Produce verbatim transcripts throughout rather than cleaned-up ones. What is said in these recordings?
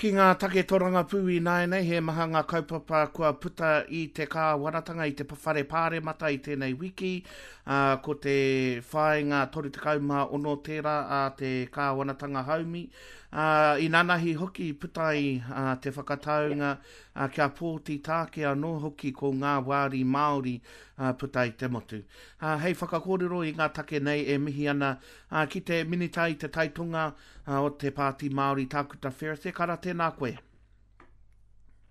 Ki ngā take tōrangapū ināianei, he maha ngā kaupapa kua puta i te kāwanatanga, i te whare pāremata i tēnei wiki. Uh, ko te whāinga toru tekau mā ono tērā a te kāwanatanga haumi. Uh, inanahi hoki puta ai uh, te whakataunga uh, kia pōti tāke anō hoki ko ngā wāri Māori uh, puta i te motu. Uh, hei whakakōrero i ngā take nei e mihi ana uh, ki te minita i te taitonga uh, o te Pāti Māori, Tākuta Ferris. E kara, tēnā koe.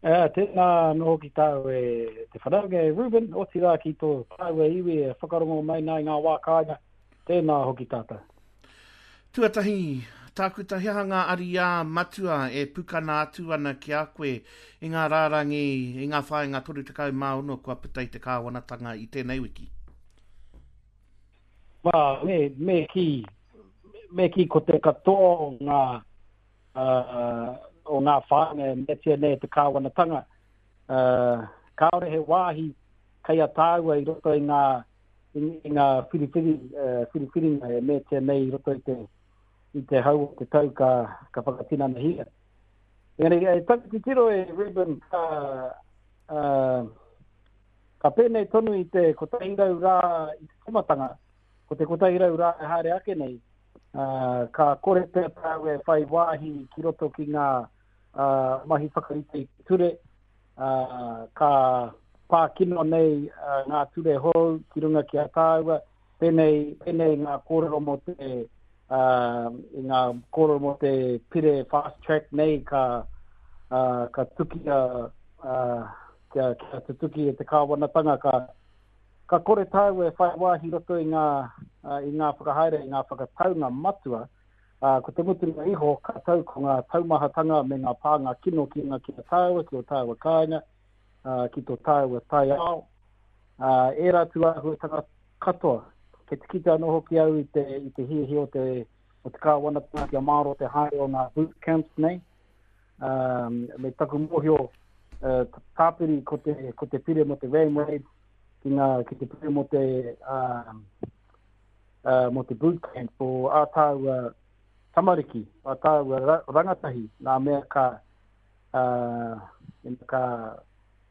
Uh, tēnā anō hoki tāu e te whanaunga e Ruben, otirā ki tō tāua iwi e whakarongo mai nā i ngā wā kāinga, tēnā hoki tātou. Tuatahi, Tākuta, he aha ngā ariā matua e pukana atu ana ki a koe i ngā rārangi, i ngā whāinga toru tekau mā ono kua puta i te kāwanatanga i tēnei wiki? Wā, me, me ki, me ki ko te katoa o ngā, uh, o ngā whāinga e meatia nei e te kāwanatanga, uh, kāore he wāhi kei a tāua i roto i ngā, i, i ngā whiriwhiri, uh, whiriwhiringa e meatia nei i roto i te, i te hau o te tau ka, ka whakatinanahia. Engari, e taku titiro e Ruben, ka, uh, ka pēnei tonu i te kotahi rau rā i te timatanga, ko te kotahi rau rā e haere ake nei, uh, ka kore pea tāu e whai wāhi ki roto ki ngā, uh, mahi whakarite i te ture, uh, ka pā kino nei, uh, ngā ture hou ki runga ki a tāua, pēnei, pēnei ngā kōrero mō te, uh, i ngā kōrero mō te pire fast track nei ka, uh, ka tukia, uh, kia, kia tutuki e te kāwanatanga, ka, ka kore tāu e whai wāhi roto i ngā, uh, i ngā whakahaere, i ngā whakataunga matua, uh, ko te mutunga iho ka tau ko ngā taumahatanga me ngā pānga kino ki ngā ki a tāua, ki o tāua kāinga, uh, ki tō tāua taiao, uh, ērā tūāhuatanga katoa. Kei te kite anō hoki au i te, i te hiahia o te, o te kāwanatanga kia māro te haere o ngā boot camps nei. Um, me taku mōhio, uh, tāpiri ko te, ko te pire mō te ram raid, ki ngā, ki te pire mō te, um, uh, mō te boot camp o ā tāua tamariki, ā tāua ra-, rangatahi, nā mea ka, uh, ka,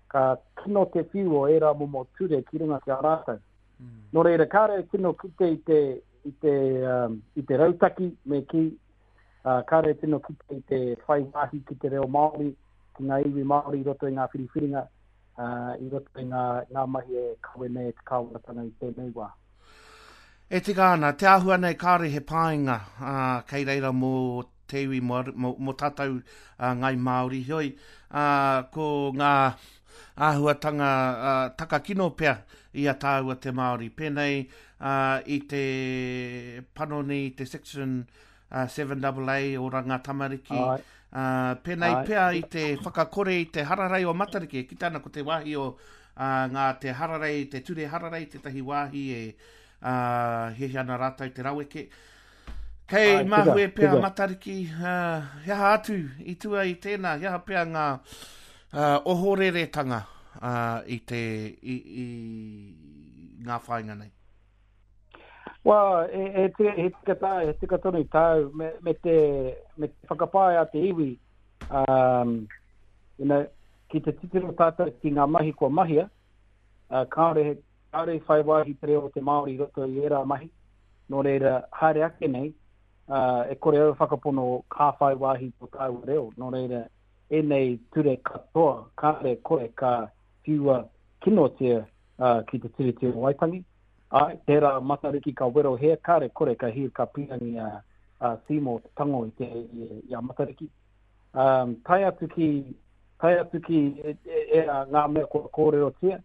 ka kino te whiu o ērā momo ture ki runga ki a rātou. Mm. Nō reira, kāre e tino kite i te, i te, um, i te rautaki, me ki, uh, kāre e tino kite i te whai wāhi ki te reo Māori, ki ngā iwi Māori i roto i ngā whiriwhiringa, uh, i roto i ngā, ngā mahi e kawe nei e te kāwanatanga i tēnei wā. E tika ana, te āhua nei kāre he pāinga, uh, kei reira mō te iwi, mō, mō, mō tātou, uh, ngai Māori. Heoi, uh, ko ngā āhuatanga, uh, takakino pea i a tāua te Māori. Pēnei, uh, i te panoni, te section, uh, seven double A o Ranga Tamariki. Ai. Uh, pēnei Ai. pea i te whakakore i te hararei o Matariki. Ki tāna ko te wāhi o, uh, ngā te hararei, te ture hararei, tētahi wāhi e, uh, hiahia ana rātou te raweke. Kei Ai, tika, mahue pea tika. Matariki, uh, he aha atu i tua i tēnā, he aha pea ngā, uh, ohoreretanga, uh, i te, i, i ngā whāinga nei? Well, e, e tika, he tika tā, he tika tonu tāu, me, me te, me te whakapae a te iwi, um, you know, ki te titiro tātou ki ngā mahi kua mahia, uh, kāore, kāore i whai wāhi te reo o te Māori i roto i ērā mahi, nō reira, haere ake nei, uh, e kore au whakapono ka whai wāhi tō tāua reo, nō reira, ēnei ture katoa, kāre kore ka whiua kinotia, uh, ki te Tiriti o Waitangi. Ai, tērā Matariki ka werohea, kāre kore ka hir ka pīrangi a, a Seymour te tango i, te, i, i a Matariki. Um, tae atu ki, tae atu ki e, e, e, ngā mea kua kōrerotia,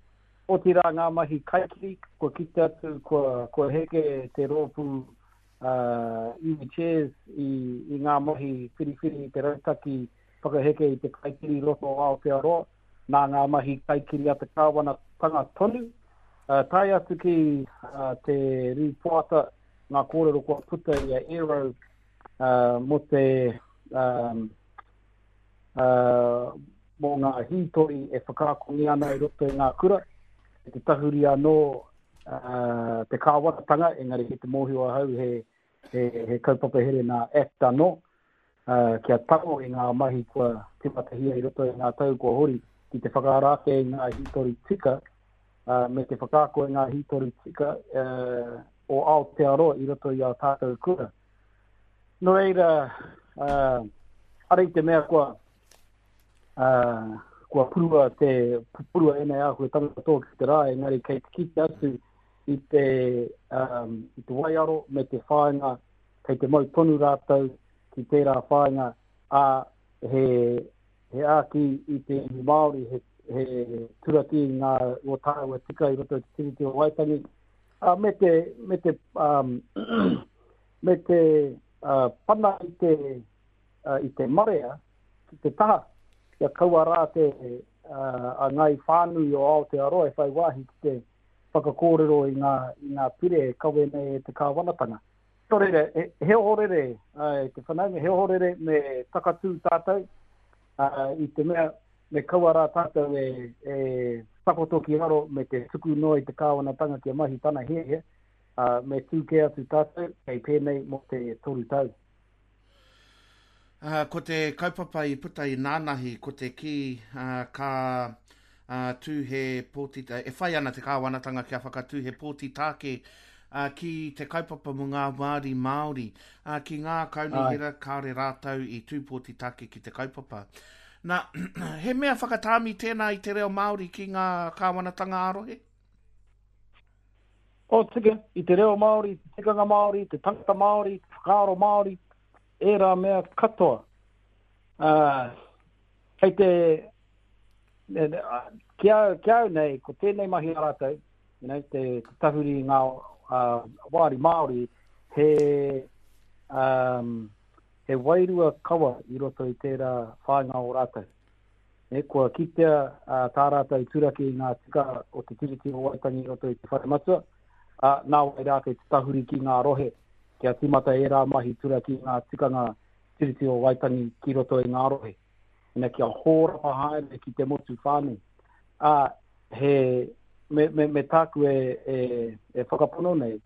otirā ngā mahi kaikiri, kua kite atu, kua, kua heke te rōpū, uh, iwi chairs i, i ngā mahi whiriwhiri i te rautaki whakaheke i te kaikiri roto o Aotearoa, nā ngā mahi kaikiri a te kāwanatanga tonu, uh, tae atu ki, uh, te rīpoata, ngā kōrero kua puta i a Aero, uh, mō te, um, uh, mō ngā hītori e whakaakongia ana i roto i ngā kura, e te tahuri anō, uh, te kāwanatanga, engari ki te mōhio ahau he, he, he kaupapa here nā Act anō, uh, kia tango i ngā mahi kua timatahia i roto i ngā tau kua hori, ki te whakaara ake i ngā hītori tika, uh, me te whakaako i ngā hītori tika uh, o Aotearoa i roto i a tātou kura. Nō reira, uh, ara i te mea kua, uh, kua purua te purua ēnei āhuatanga katoa ki te rā, engari kei te kite atu i te, um, i te waiaro me te whāinga, kei te mau tonu rātou ki tērā whāinga, a he, he āki i te iwi Māori, he, he turaki i ngā o tāua tika i roto i te Tiriti o Waitangi, a, me te, me te, um, me te uh, pana i te, uh, i te marea ki te taha, kia kaua rā te uh, a ngai whānui o Aotearoa e whai wāhi ki te whakakōrero i ngā, i ngā pire e kawe nei e te kāwanatanga. Nō reira, he, he ohorere, uh, te whanaunga, he ohorere me takatū tātou, uh, i te mea me kaua rā tātou e, e takoto ki raro me te tuku noa i te kāwanatanga kia mahi tana hiahia, uh, me tū kē atu tātou, kei pēnei mō te toru tau. Uh, ko te kaupapa i puta i nānahi, ko te kī uh, ka uh, tū he pōti, e whai ana te kāwanatanga kia whakatū he pōti tāke uh, ki te kaupapa mō ngā wāri Māori, uh, ki ngā kaunihera kāore rātou i tū pōti tāke ki te kaupapa. Nā, he mea whakatāmi tēnā i te reo Māori ki ngā kāwanatanga ā-rohe? O, tika, i te reo Māori, te tikanga Māori, te tangata Māori, te whakaaro Māori, ērā mea katoa. Uh, kei te, ki au, ki au nei, ko tēnei mahi a rātou, you know, te, te tahuri i ngā uh, wāri Māori, he, um, he wairua kawa i roto i tērā whāinga o rātou. E, kua kitea uh, tā rātou turaki i ngā tika o te Tiriti o Waitangi i roto i te whare matua, uh, nā wai rā kei te tahuri ki ngā rohe, kia tīmata ērā mahi turaki i ngā tikanga Tiriti o Waitangi ki roto i ngā rohe. Ina kia hōrapa haere ki te motu whānui. Uh, he, me, me, me tāku e, e, e whakapono nei,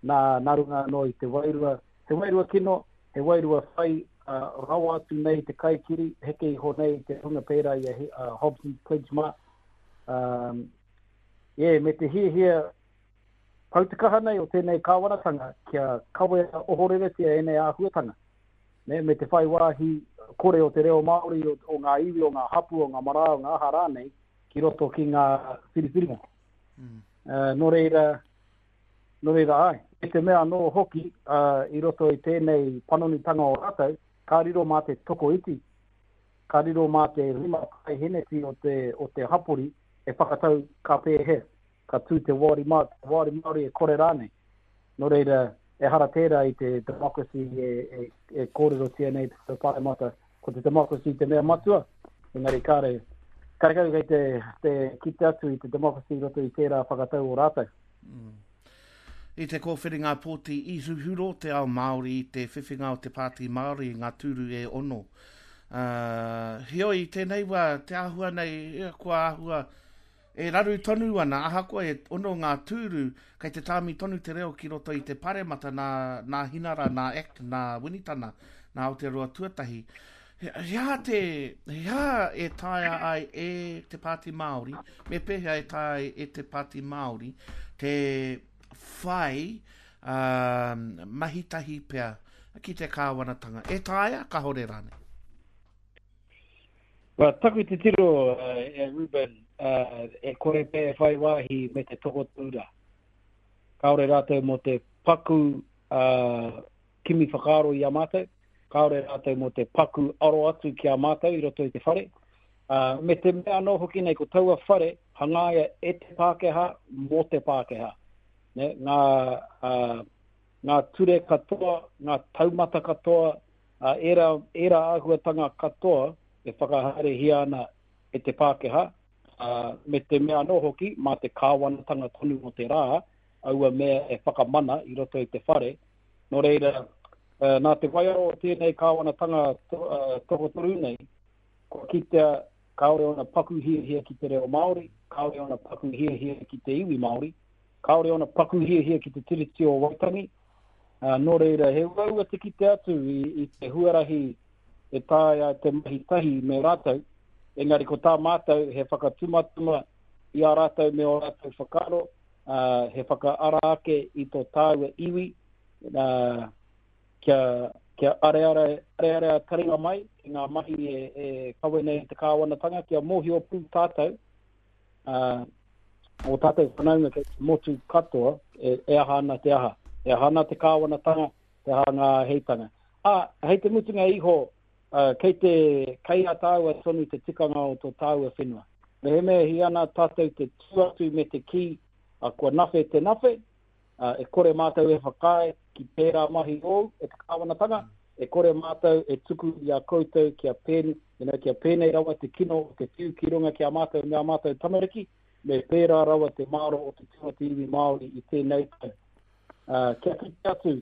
nā, nā runga anō i te wairua, he wairua kino, he wairua whai uh, rawa atu nei te kaikiri, heke iho nei te hunga pērā i a uh, Hobson's Pledge mā. Um, yeah, me te hiahia pau te kaha nei o tēnei kāwanatanga kia kawea ohoreretia ēnei āhuatanga. Ne, me te whai wāhi kore o te reo Māori, o, o ngā iwi, o ngā hapu, o ngā marae, o ngā aha rānei, ki roto ki ngā whiriwhiringa. Mm. Uh, nō reira, nō reira ai. E te mea anō hoki, uh, i roto i tēnei panonitanga o rātou, ka riro mā te tokoiti, ka riro mā te rima paeheneti o te, o te hapori e whakatau ka pēhea, ka tū te wāri Māori, te wāri Māori e kore rānei. Nō reira, ehara tērā i te democracy e, e, e kōrerotia nei te Pāremata, ko te democracy te mea matua, engari kāre, karekau kei te, te kite atu i te democracy i roto i tērā whakatau o rātou. Mm. I te kōwhiringa pōti i huhuro te ao Māori i te whiwhinga o te Pāti Māori i ngā tūru e ono. Uh, heoi, tēnei wā, te āhua nei, kua āhua e raru tonu ana, ahakoa e ono ngā tūru, kei te tāmi tonu te reo ki roto i te paremata nā, nā Hinara, nā Act, nā Winitana, nā Aotearoa Tuatahi. He, he aha te, he aha e taea ai e te Pāti Māori, me pēhea e taea ai e te Pāti Māori, te whai um, mahitahi pea ki te kāwanatanga. E taea, kahore rānei? Well, taku titiro, uh, e Ruben, uh, e kore pē e whai wāhi me te tokotoru. Kāore rātou mō te paku uh, kimi whakaaro i a mātou, kāore rātou mō te paku aro atu ki a mātou i roto i te whare. Uh, me te mea anō hoki nei, ko taua whare hangaia e te Pākehā mō te Pākehā. Ne, ngā, uh, ngā ture katoa, ngā taumata katoa, uh, ērā, ērā āhuatanga katoa e whakahaerehia ana e te Pākehā, uh, me te mea anō hoki, mā te kāwanatanga tonu o te rā, aua mea e whakamana i roto i te whare. Nō reira, uh, nā te waiaro o tēnei kāwanatanga to, uh, tokotoru nei, kua kitea kāore ona paku hiahia ki te reo Māori, kāore ona paku hiahia ki te iwi Māori, kāore ona paku hiahia ki te Tiriti o Waitangi. Uh, nō reira, he uaua te kite atu i, i te huarahi e taea te mahi tahi me rātou, engari ko tā mātou he whakatumatuma i a rātou me o rātou whakaaro, uh, he whakaara ake i tō tāua iwi, uh, kia, kia areare, areare a taringa mai ki ngā mahi e, e kawe nei te kāwanatanga, kia mōhio pū tātou, uh, o tātou whanaunga kei te motu katoa, e, e aha ana te aha. E aha ana te kāwanatanga, te aha ngā heitanga. Ā, hei te mutunga iho, uh, kei te kei a tāua tonu te tikanga o tō tāua whenua. Mehemea hi ana tātou te tū atu me te kī, uh, kua nawhe te nawhe, uh, e kore mātou e whakaae ki tērā mahi ōu e te kāwanatanga, e kore mātou e tuku i a koutou kia, pēn, you know, kia pēnei rawa te kino o te whiu ki runga ki a mātou me a mātou tamariki, me pērā rawa te māro o te tū a te iwi Māori i tēnei tau. Uh, kia kite atu,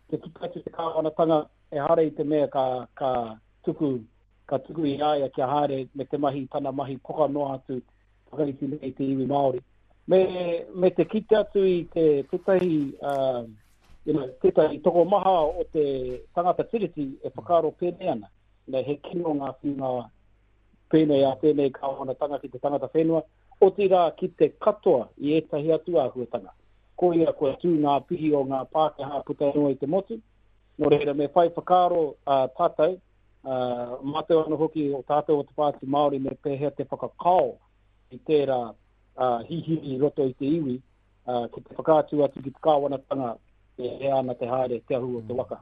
kia kite atu te kāwanatanga, e hare i te mea ka, ka tuku, ka tuku i a ia kia haere me te mahi tana mahi poka noa atu whakaiti nei te iwi Māori. Me, me te kite atu i te tētahi, uh, you know, tētahi tokomaha o te tangata tiriti e whakaaro pēnei ana. You know, he kino ngā whiunga pēnei a tēnei kāwanatanga ki te tangata whenua, otirā ki te katoa i ētahi atu āhuatanga. Koia kua tū ngā pihi o ngā Pākehā puta noa i te motu. Nō reira, me whai whakaaro uh, tātou, uh, mātou anō hoki o tātou o te Pāti Māori me pēhea te whakakao i tērā uh, hihiri i roto i te iwi, uh, ki te whakaatu atu ki te kāwanatanga e hea ana te haere te ahu o te waka.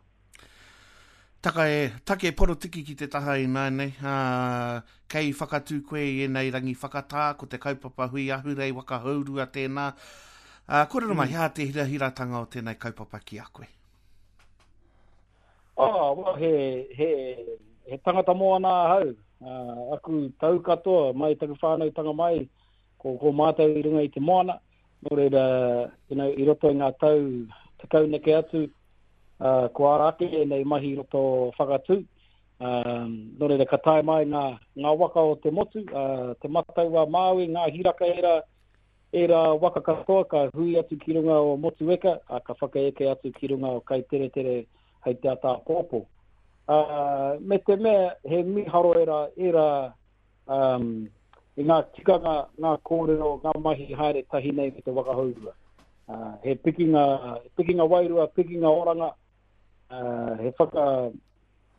Taka e, take porotiki ki te taha i nānei, uh, kei whakatū koe i ēnei rangi whakatā, ko te kaupapa hui ahurei waka hourua tēnā. Uh, kōrero mai, mm. hea te hirahiratanga o tēnei kaupapa ki a koe? Oh, well, he, he, he tangata moana ahau. Uh, aku tau katoa, mai taku whānautanga mai, ko, ko mātou i runga i te moana. Nō reira, you know, i roto i ngā tau tekau neke atu, uh, ko ara ake nei mahi i roto whakatū. Um, nō reira, ka tae mai ngā, ngā waka o te motu, uh, te Matau a Māui, ngā hiraka era, era waka katoa, ka hui atu ki runga o Motueka, uh, ka whakaeke atu ki runga o Kaiteretere hei te ata pōpō. Uh, me te mea, he miharo era, era um, i ngā tikanga, ngā kōrero, ngā mahi haere tahi nei me te waka hourua. Uh, he pikinga, pikinga wairua, pikinga oranga, uh, he whaka,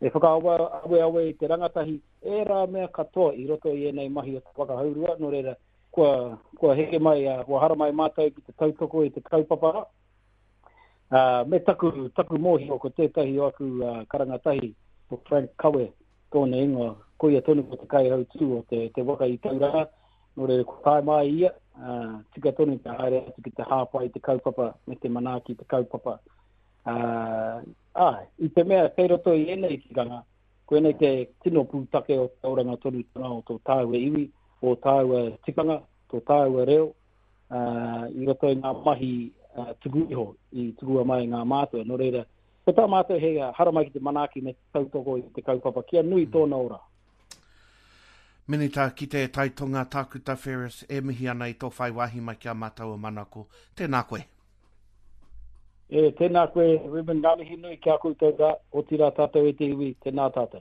he whakaaweawe i te rangatahi, ērā mea katoa i roto i ēnei mahi o te waka hourua, nō reira, kua, kua heke mai, uh, kua haramai mātou ki te tautoko i te kaupapa rā. Uh, me taku, taku mōhio ko tētahi o aku uh, karangatahi, ko Frank Kawe, tōna ingoa, koia tonu ko te kaihautū o te, te waka i Tauranga, nō reira ko tae mai ia, uh, tika tonu te haere atu ki te hāpai te kaupapa me te manaaki te kaupapa. Uh, ah, i te mea kei roto i ēnei tikanga, koinei te tino pūtake o te oranga tonutanga o tō tāua iwi, o tāua tikanga, tō tāua reo, uh, i roto i ngā mahi uh, tuku iho, i tukua mai ngā mātua. Nō reira, ko tā mātou he haramai ki te manaaki me tautoko i te kaupapa, kia nui tōna ora. Minita ki te Taitonga Tākuta Ferris e mihi ana i tō whai wāhi mai ki a mātou o Manako. Tēnā koe. E, tēnā koe, Ruben, ngā mihi nui ki a koutou rā, otirā tātou e te iwi, tēnā tātou.